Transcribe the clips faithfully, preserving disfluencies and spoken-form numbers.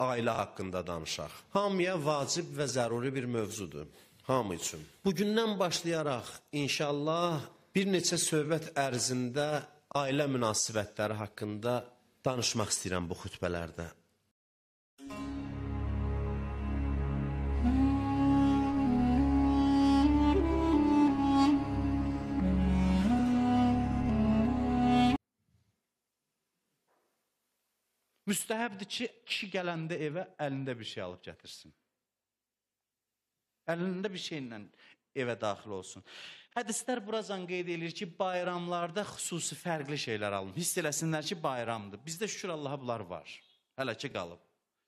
ailə haqqında danışaq. Hamıya vacib və zəruri bir mövzudur, hamı üçün. Bugündən başlayaraq inşallah bir neçə söhbət ərzində ailə münasibətləri haqqında danışmaq istəyirəm bu xütbələrdə. Müstəhəbdir ki, kişi gələndə evə əlində bir şey alıb gətirsin. Əlində bir şeylə evə daxil olsun. Hədislər buracan qeyd edir ki, bayramlarda xüsusi fərqli şeylər alın. Hiss eləsinlər ki, bayramdır. Bizdə şükür Allaha bunlar var. Hələ ki qalıb.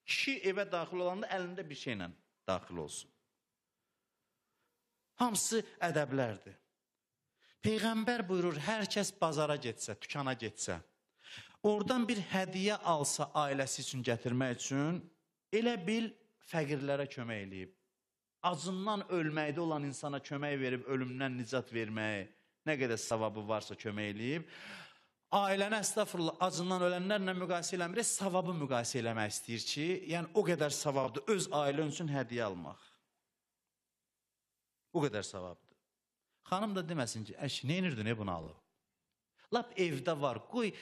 Kişi evə daxil olanda əlində bir şeylə daxil olsun. Hamısı ədəblərdir. Peyğəmbər buyurur, hər kəs bazara getsə, dükana getsə, oradan bir hədiyyə alsa ailəsi üçün gətirmək üçün, elə bil fəqirlərə kömək eləyib. Acından ölməkdə olan insana kömək verib, ölümdən nicat verməyi, nə qədər savabı varsa kömək eləyib. Ailəni əstəğfurullah, acından ölənlərlə müqayisə eləmir, savabı müqayisə eləmək istəyir ki, yəni o qədər savabdır, öz ailən üçün hədiyyə almaq. O qədər savabdır. Xanım da deməsin ki, əş, nə inirdi, nə bunu alıb? Lap evdə var, qoy,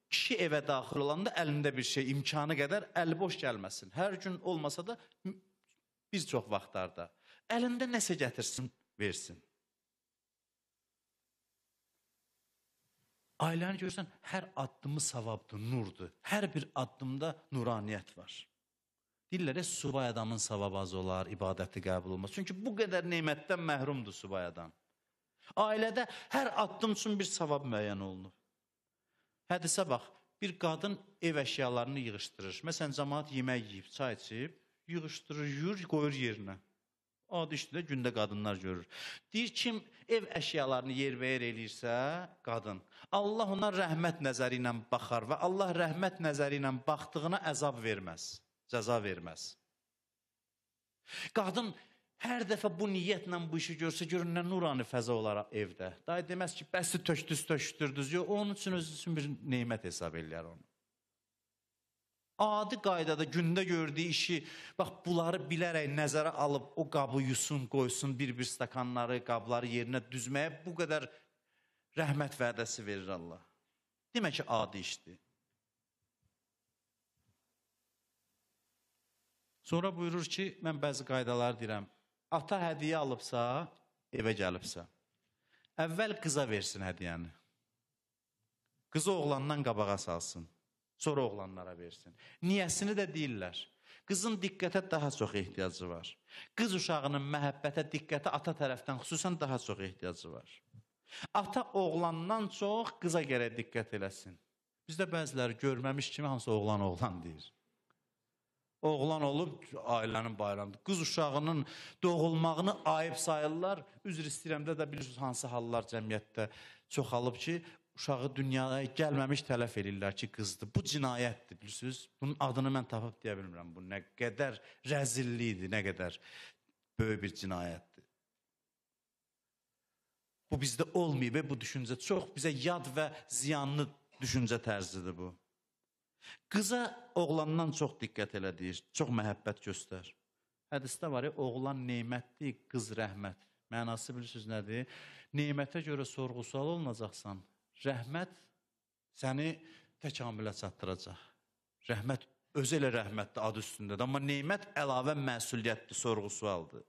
kişi evə daxil olanda əlində bir şey, imkanı qədər əli boş gəlməsin. Hər gün olmasa da bir çox vaxtlarda əlində nəsə gətirsin, versin. Ailəni görürsən, hər addımı savabdır, nurdur. Hər bir addımda nuraniyyət var. Deyirlər, subay adamın savabı az olar, ibadəti qəbul olmaz. Çünki bu qədər neymətdən məhrumdur subay adam. Ailədə hər addım üçün bir savab müəyyən olunur. Hədisə bax, bir qadın ev əşyalarını yığışdırır. Məsələn, cəmaat yemək yiyib, çay içib, yığışdırır, yuyur, qoyur yerinə. Adi işdə gündə qadınlar görür. Deyir, kim ev əşyalarını yerbəyer eləyirsə, qadın, Allah ona rəhmət nəzəri ilə baxar və Allah rəhmət nəzəri ilə baxdığına əzab verməz, cəza verməz. Qadın hər dəfə bu niyyətlə bu işi görsə, görün nə nurani fəza olaraq evdə. Daha deməz ki, bəsi tökdüz, tökdürdüz. Yox, onun üçün özü üçün bir neymət hesab eləyər onu. Adi qaydada gündə gördüyü işi, bax, bunları bilərək nəzərə alıb, o qabı yusun, qoysun, bir-bir stakanları, qabları yerinə düzməyə bu qədər rəhmət vədəsi verir Allah. Demək ki, adi işdir. Sonra buyurur ki, mən bəzi qaydalar deyirəm. Ata hədiyyə alıbsa, evə gəlibsə, əvvəl qıza versin hədiyyəni. Qızı oğlandan qabağa salsın, sonra oğlanlara versin. Niyəsini də deyirlər. Qızın diqqətə daha çox ehtiyacı var. Qız uşağının məhəbbətə, diqqətə ata tərəfdən xüsusən daha çox ehtiyacı var. Ata oğlandan çox qıza gərək diqqət eləsin. Bizdə bəziləri görməmiş kimi hansı oğlan oğlan deyir. Oğlan olub ailənin bayramıdır. Qız uşağının doğulmağını ayıb sayırlar. Üzr istəyirəmdə də bilirsiniz hansı hallar cəmiyyətdə çoxalıb ki, uşağı dünyaya gəlməmiş tələf edirlər ki, qızdır. Bu cinayətdir, bilirsiniz. Bunun adını mən tapıb deyə bilmirəm. Bu nə qədər rəzillikdir, nə qədər böyük bir cinayətdir. Bu bizdə olmayıb, bu düşüncə çox bizə yad və ziyanlı düşüncə tərzidir bu. Qıza oğlandan çox diqqət elə deyir, çox məhəbbət göstər. Hədisdə var ya, oğlan neymətdir, qız rəhmət. Mənası bilirsiniz nədir? Neymətə görə sorğu-sual olunacaqsan, rəhmət səni təkamülə çatdıracaq. Rəhmət, özü elə rəhmətdir adı üstündədir, amma neymət əlavə məsuliyyətdir, sorğu-sualdır.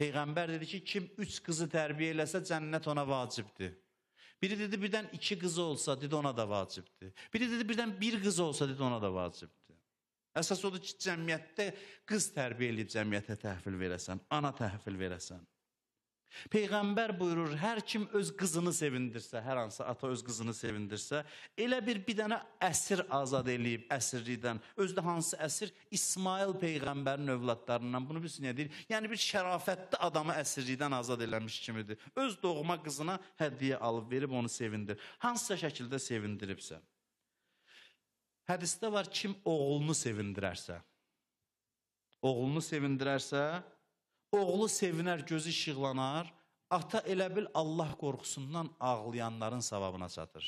Peyğəmbər dedi ki, kim üç qızı tərbiyə eləsə, cənnət ona vacibdir. Biri dedi, birdən iki qızı olsa, dedi, ona da vacibdir. Biri dedi, birdən bir qızı olsa, dedi, ona da vacibdir. Əsas odur ki, cəmiyyətdə qız tərbiyə edib cəmiyyətə təhvil verəsən, ana təhvil verəsən. Peyğəmbər buyurur, hər kim öz qızını sevindirsə, hər hansı ata öz qızını sevindirsə, elə bir bir dənə əsir azad eləyib, əsirlikdən. Özdə hansı əsir? İsmail Peyğəmbərin övladlarından. Bunu bilsin, nə deyir? Yəni bir şərafətli adamı əsirlikdən azad eləmiş kimidir. Öz doğma qızına hədiyyə alıb, verib onu sevindir. Hansısa şəkildə sevindiribsə. Hədisdə var, kim oğlunu sevindirərsə, oğlunu sevindirərsə, oğlu sevinər, gözü işıqlanar, ata elə bil Allah qorxusundan ağlayanların savabına çatır.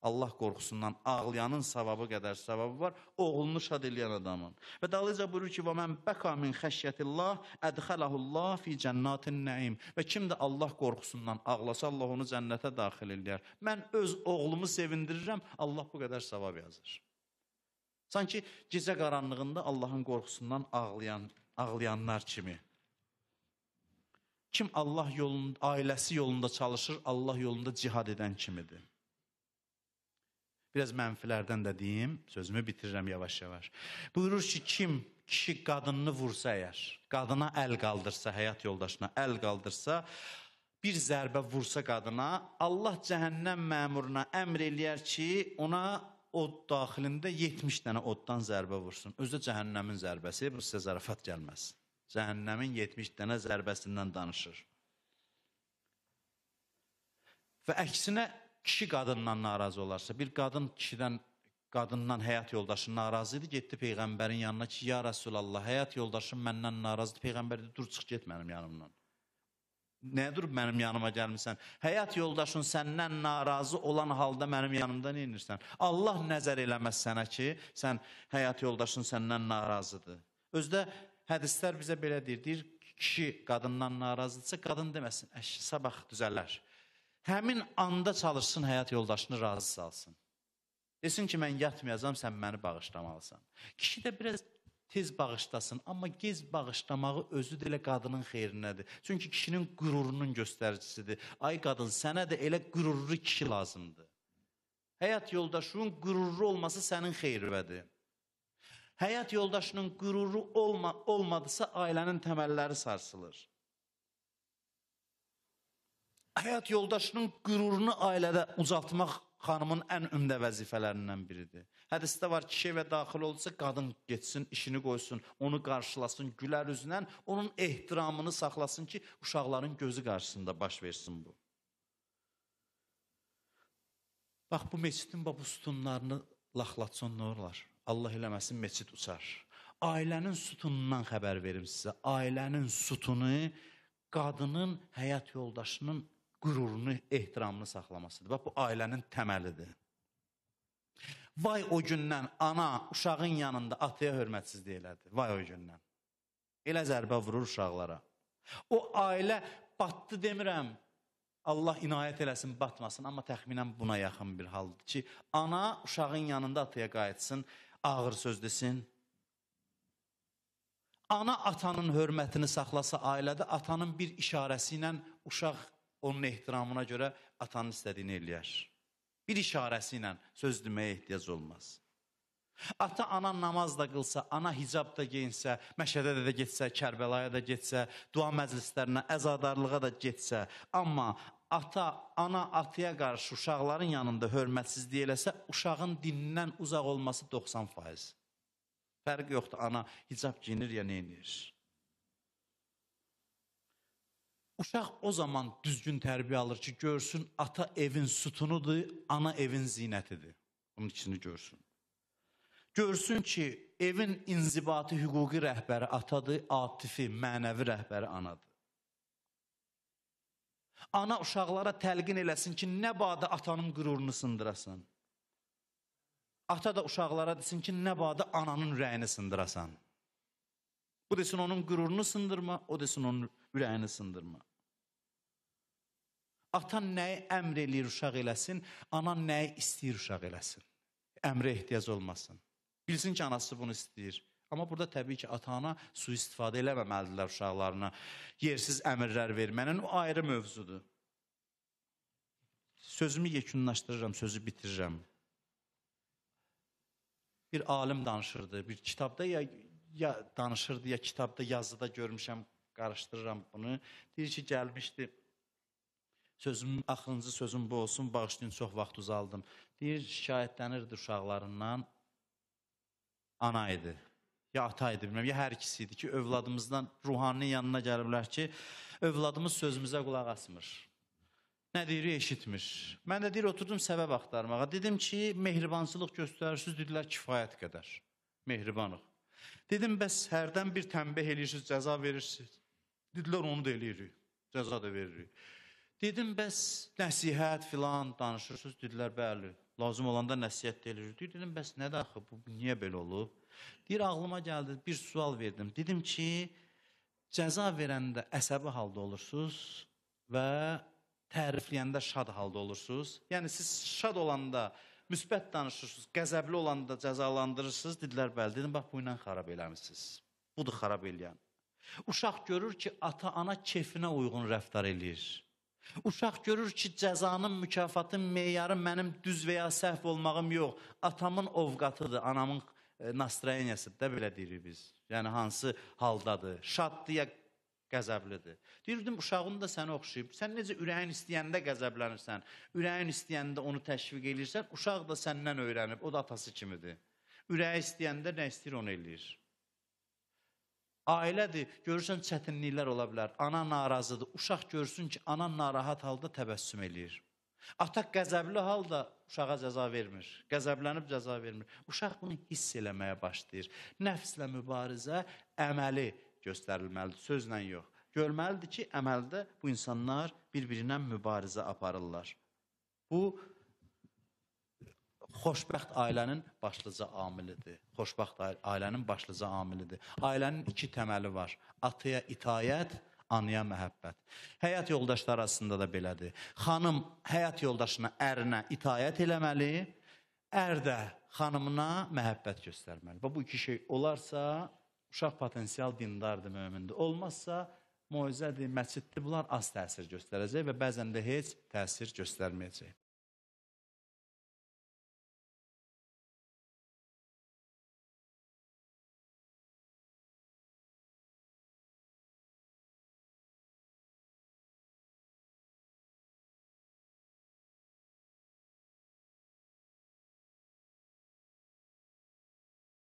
Allah qorxusundan ağlayanın savabı qədər savabı var, oğlunu şad eləyən adamın. Və dalınca buyurur ki, və mən bəqa min xəşyətillah, ədxələhullah fi cənnatin nəim. Və kim də Allah qorxusundan ağlasa, Allah onu cənnətə daxil eləyər. Mən öz oğlumu sevindirirəm, Allah bu qədər savab yazır. Sanki gecə qaranlığında Allahın qorxusundan ağlayan, ağlayanlar kimi. Kim Allah yolunda, ailəsi yolunda çalışır, Allah yolunda cihad edən kimidir. Biraz mənfilərdən də deyim, sözümü bitirirəm yavaş-yavaş. Buyurur ki, kim kişi qadınını vursa əgər, qadına əl qaldırsa, həyat yoldaşına əl qaldırsa, bir zərbə vursa qadına, Allah cəhənnəm məmuruna əmr eləyər ki, ona od daxilində yetmiş dənə oddan zərbə vursun. Özü də cəhənnəmin zərbəsi, bu sizə zarafat gəlməz. Cəhənnəmin yetmiş dənə zərbəsindən danışır. Və əksinə, kişi qadından narazı olarsa, bir qadın kişidən, qadından həyat yoldaşı narazı idi, getdi Peyğəmbərin yanına ki, ya Rasulallah, həyat yoldaşım məndən narazıdır. Peyğəmbər dedi, dur, çıx get mənim yanımdan. Nəyə durub mənim yanıma gəlmirsən? Həyat yoldaşın səndən narazı olan halda mənim yanımda nə edirsən? Allah nəzər eləməz sənə ki, sən həyat yoldaşın səndən narazıdır. Özdə hədislər bizə belə deyir, deyir, kişi qadından narazıdırsa, qadın deməsin, əş, sabah düzələr. Həmin anda çalışsın, həyat yoldaşını razı salsın. Desin ki, mən yatmayacam, sən məni bağışlamalısan. Kişi də biraz tez bağışlasın, amma gez bağışlamağı özü də elə qadının xeyrinədir. Çünki kişinin qürurunun göstəricisidir. Ay qadın, sənə də elə qürurlu kişi lazımdır. Həyat yoldaşının qürurlu olması sənin xeyribədir. Həyat yoldaşının qüruru olma, olmadısa, ailənin təməlləri sarsılır. Həyat yoldaşının qürurunu ailədə ucaltmaq xanımın ən ümdə vəzifələrindən biridir. Hədisdə var, kişi evə daxil olsa, qadın getsin, işini qoysun, onu qarşılasın, gülər üzlə, onun ehtiramını saxlasın ki, uşaqların gözü qarşısında baş versin bu. Bax, bu meçidin bu sütunlarını laxlatson nə olar? Allah eləməsin, meçid uçar. Ailənin sütunundan xəbər verim sizə. Ailənin sütunu qadının həyat yoldaşının qürurunu, ehtiramını saxlamasıdır. Bax, bu ailənin təməlidir. Vay o gündən ana uşağın yanında ataya hörmətsizlik elədi. Vay o gündən. Elə zərbə vurur uşaqlara. O ailə batdı demirəm. Allah inayət eləsin, batmasın. Amma təxminən buna yaxın bir haldır ki, ana uşağın yanında ataya qayıtsın, ağır söz desin. Ana atanın hörmətini saxlasa ailədə, atanın bir işarəsi ilə uşaq onun ehtiramına görə atanın istədiyini eləyər. Bir işarəsi ilə söz deməyə ehtiyac olmaz. Ata, ana namaz da qılsa, ana hicab da geyinsə, məşədə də getsə, Kərbəlaya da getsə, dua məclislərinə, əzadarlığa da getsə, amma ata, ana ataya qarşı uşaqların yanında hörmətsizlik eləsə, uşağın dinindən uzaq olması doxsan faiz. Fərq yoxdur, ana hicab giyinir ya neynir. Uşaq o zaman düzgün tərbiyə alır ki, görsün, ata evin sütunudur, ana evin zinətidir. Bunun ikisini görsün. Görsün ki, evin inzibatı, hüquqi rəhbəri atadır, atifi, mənəvi rəhbəri anadır. Ana uşaqlara təlqin eləsin ki, nə badə atanın qürurunu sındırasan. Ata da uşaqlara desin ki, nə badə ananın ürəyini sındırasan. Bu desin onun qürurunu sındırma, o desin onun ürəyini sındırma. Atan nəyi əmr eləyir uşaq eləsin, anan nəyi istəyir uşaq eləsin. Əmrə ehtiyac olmasın. Bilsin ki, anası bunu istəyir. Amma burada təbii ki, ata-ana sui-istifadə eləməməlidirlər uşaqlarına. Yersiz əmrlər vermənin o ayrı mövzudur. Sözümü yekunlaşdırıram, sözü bitirirəm. Bir alim danışırdı, bir kitabda ya, ya danışırdı, ya kitabda, yazıda görmüşəm, qarışdırıram bunu. Deyir ki, gəlmişdi, sözüm, axırıncı sözüm bu olsun, bağışlayın, çox vaxt uzaldım. Deyir, şikayətlənirdi uşaqlarından, ana idi, ya ata idi, bilməm, ya hər ikisi idi ki, övladımızdan ruhaninin yanına gəliblər ki, övladımız sözümüzə qulaq asmır. Nə deyir, eşitmir. Mən də deyir, oturdum səbəb axtarmağa. Dedim ki, mehribansılıq göstərirsiniz, dedilər, kifayət qədər. Mehribanıq. Dedim, bəs hərdən bir tənbih eləyirsiniz, cəza verirsiniz. Dedilər, onu da eləyirik, cəza da veririk. Dedim, bəs nəsihət filan danışırsınız, dedilər, bəli. Lazım olanda nəsihət edir. Dedim, bəs nədir axı, bu niyə belə olub? Deyir, ağlıma gəldi, bir sual verdim. Dedim ki, cəza verəndə əsəbi halda olursunuz və tərifləyəndə şad halda olursunuz. Yəni, siz şad olanda müsbət danışırsınız, qəzəbli olanda cəzalandırırsınız. Dedilər, bəli, dedim, bax, bu ilə xarab eləmişsiniz. Budur xarab eləyən. Uşaq görür ki, ata-ana kefinə uyğun rəftar eləyir. Uşaq görür ki, cəzanın, mükafatın meyarı mənim düz və ya səhv olmağım yox. Atamın ovqatıdır, anamın nastroyeniyasıdır da, belə deyirik biz. Yəni, hansı haldadır, şaddır ya qəzəblidir. Deyirdim, uşağın da səni oxşayıb. Sən necə ürəyin istəyəndə qəzəblənirsən, ürəyin istəyəndə onu təşviq edirsən, uşaq da səndən öyrənib, o da atası kimidir. Ürəyi istəyəndə nə istəyir, onu eləyir. Ailədir, görürsən çətinliklər ola bilər, ana narazıdır, uşaq görsün ki, ana narahat halda təbəssüm eləyir. Ata qəzəbli halda uşağa cəza vermir, qəzəblənib cəza vermir. Uşaq bunu hiss eləməyə başlayır. Nəfslə mübarizə əməli göstərilməlidir, sözlə yox. Görməlidir ki, əməldə bu insanlar bir-birinə mübarizə aparırlar. Bu, xoşbəxt ailənin başlıca amilidir. Xoşbəxt ailənin başlıca amilidir. Ailənin iki təməli var. Ataya itayət, anaya məhəbbət. Həyat yoldaşları arasında da belədir. Xanım həyat yoldaşına, ərinə itayət eləməli, ər də xanımına məhəbbət göstərməli. Bu iki şey olarsa, uşaq potensial dindardır, mömindir. Olmazsa, moizədir, məciddir, bunlar az təsir göstərəcək və bəzən də heç təsir göstərməyəcək.